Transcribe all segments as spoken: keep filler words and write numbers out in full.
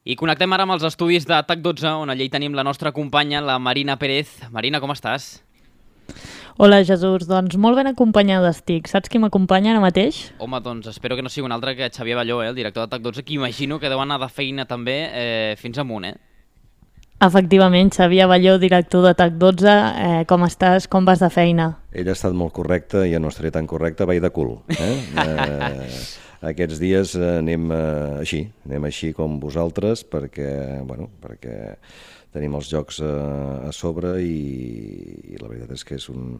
I connectem ara amb els estudis de TAC dotze, on allà hi tenim la nostra companya, la Marina Pérez. Marina, com estàs? Hola, Jesús. Doncs molt ben acompanyada estic. Saps qui m'acompanya ara mateix? Home, doncs espero que no sigui un altre que Xavier Balló, eh, el director de TAC dotze, que imagino que deu anar de feina també eh, fins amunt, eh? Efectivament, Xavier Balló, director de TAC dotze. Eh, com estàs? Com vas de feina? Ell ha estat molt correcte i ja no estaré tan correcte, vaig de cul. Eh? eh, aquests dies anem eh, així, anem així com vosaltres, perquè, bueno, perquè tenim els jocs a, a sobre i, i la veritat és que és un,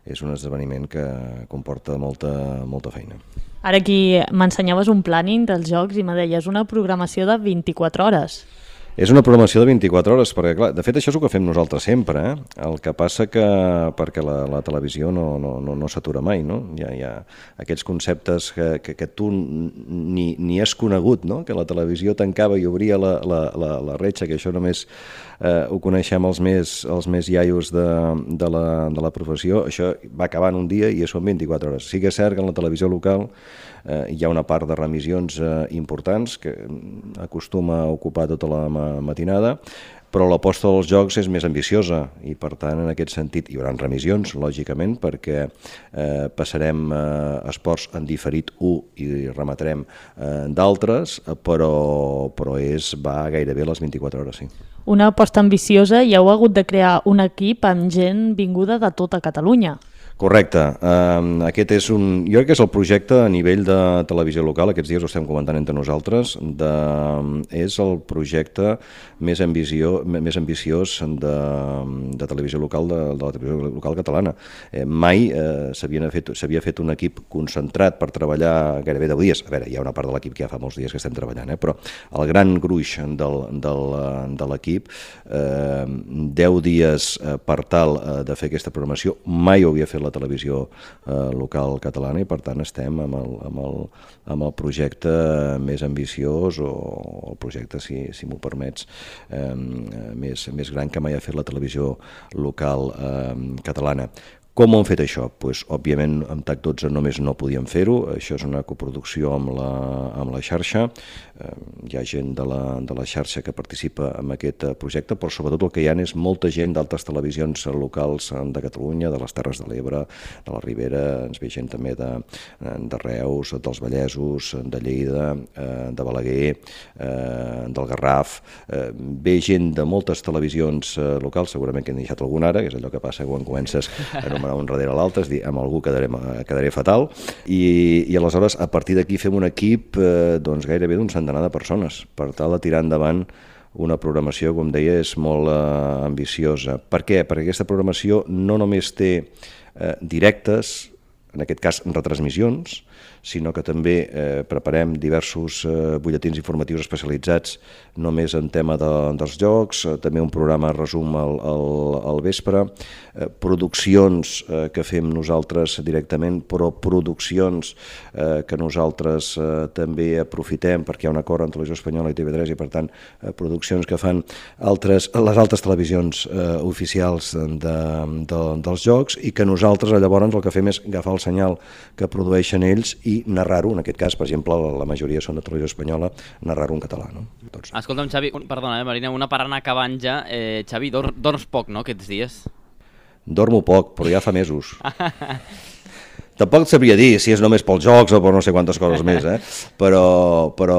és un esdeveniment que comporta molta, molta feina. Ara aquí m'ensenyaves un planning dels jocs i me deies una programació de vint-i-quatre hores. És una programació de vint-i-quatre hores, perquè clar, de fet això és el que fem nosaltres sempre, eh? El que passa que perquè la, la televisió no, no, no, no s'atura mai, no? Hi ha, hi ha aquests conceptes que, que, que tu ni, ni has conegut, no? Que la televisió tancava i obria la, la, la, la retxa, que això només eh, ho coneixem els més, els més iaios de, de, la, de la professió. Això va acabar en un dia i són vint-i-quatre hores. Sí que és cert que en la televisió local eh, hi ha una part de remissions eh, importants que acostuma a ocupar tota la matinada, però l'aposta dels jocs és més ambiciosa i per tant en aquest sentit hi haurà remissions, lògicament, perquè eh, passarem eh, esports en diferit u i rematarem eh, d'altres, però, però és, va gairebé a les vint-i-quatre hores, sí. Una aposta ambiciosa i heu hagut de crear un equip amb gent vinguda de tota Catalunya. Correcte. Uh, aquest és un... Jo crec que és el projecte a nivell de televisió local, aquests dies ho estem comentant entre nosaltres, de... és el projecte més, ambició, més ambiciós de, de televisió local, de, de la televisió local catalana. Eh, mai eh, s'havia fet, s'havia fet un equip concentrat per treballar gairebé deu dies. A veure, hi ha una part de l'equip que ja fa molts dies que estem treballant, eh? Però el gran gruix del, del, de l'equip, eh, deu dies eh, per tal eh, de fer aquesta programació, mai ho havia fet la televisió eh, local catalana i per tant estem amb el, amb el, amb el projecte més ambiciós o el projecte, si, si m'ho permets, eh, més, més gran que mai ha fet la televisió local eh, catalana. Com ho hem fet això? Pues, òbviament, amb TAC dotze només no podíem fer-ho, això és una coproducció amb la, amb la xarxa, eh, hi ha gent de la, de la xarxa que participa en aquest projecte, però sobretot el que hi ha és molta gent d'altres televisions locals de Catalunya, de les Terres de l'Ebre, de la Ribera, ens ve gent també de, de Reus, dels Vallesos, de Lleida, eh, de Balaguer, eh, del Garraf, eh, ve gent de moltes televisions eh, locals, segurament que n'he deixat alguna ara, que és allò que passa quan comences a un darrere l'altre, és dir, amb algú quedaré, quedaré fatal, i, i aleshores a partir d'aquí fem un equip eh, doncs gairebé d'un centenar de persones per tal de tirar endavant una programació, com deia, és molt eh, ambiciosa. Per què? Perquè aquesta programació no només té eh, directes, en aquest cas retransmissions, sinó que també eh, preparem diversos eh, butlletins informatius especialitzats només en tema de, dels jocs, eh, també un programa resum al, al, al vespre, eh, produccions eh, que fem nosaltres directament, però produccions eh, que nosaltres eh, també aprofitem perquè hi ha un acord entre Televisió Espanyola i T V tres i per tant eh, produccions que fan altres, les altres televisions eh, oficials de, de, dels jocs i que nosaltres llavors el que fem és agafar el senyal que produeixen ells i narrar-ho, en aquest cas, per exemple, la majoria són de Televisió Espanyola, narrar-ho en català, no? Doncs... Escolta'm, Xavi, un, perdona, eh, Marina, una per anar acabant ja. Eh, Xavi, dor, dorms poc, no, aquests dies? Dormo poc, però ja fa mesos. Tampoc sabria dir si és només pels jocs o per no sé quantes coses més, eh? però, però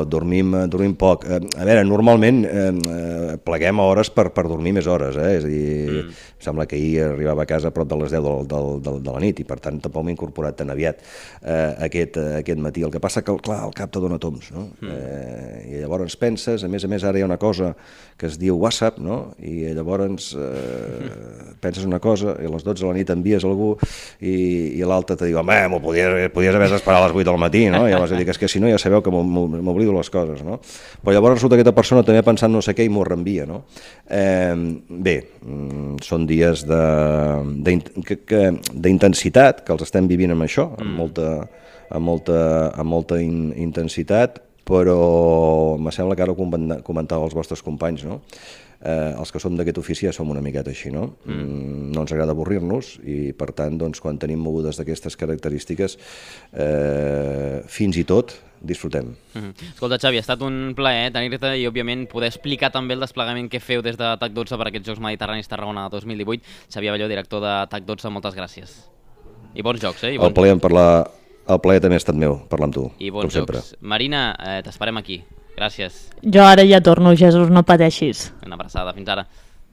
dormim, dormim poc. A veure, normalment eh, pleguem hores per, per dormir més hores, eh? És a dir, mm. sembla que ahir arribava a casa a prop de les deu del, del, del, de la nit i per tant tampoc m'he incorporat tan aviat eh, aquest, aquest matí. El que passa que, clar, el cap te dona toms, no? Mm. Eh, I llavors penses, a més a més ara hi ha una cosa que es diu WhatsApp, no? I llavors eh, penses una cosa i a les dotze de la nit envies algú i, i l'altre te diu, home, m'ho podies, podies haver esperat a les vuit del matí, no? I llavors dic, és que si no ja sabeu que m'oblido les coses, no? Però llavors resulta que aquesta persona també pensant no sé què i m'ho reenvia, no? Eh, bé, són dies d'intensitat, que els estem vivint amb això, amb molta, amb molta, amb molta in, intensitat, però me sembla que ara ho comentava els vostres companys, no? Eh, els que som d'aquest ofici ja som una miqueta així, no? Mm. No ens agrada avorrir-nos i per tant, doncs, quan tenim mogudes d'aquestes característiques, eh, fins i tot disfrutem. Mm-hmm. Escolta, Xavi, ha estat un plaer tenir-te i, òbviament, poder explicar també el desplegament que feu des de TAC dotze per aquests Jocs Mediterranis Tarragona dos mil divuit. Xavi Abelló, director de TAC dotze, moltes gràcies. I bons jocs, eh? I bons el plaer en parlar, el plaer també ha estat meu, parlar amb tu, I bons com sempre. jocs. Marina, eh, t'esperem aquí. Gràcies. Jo ara ja torno, Jesús, no pateixis. Una abraçada, fins ara.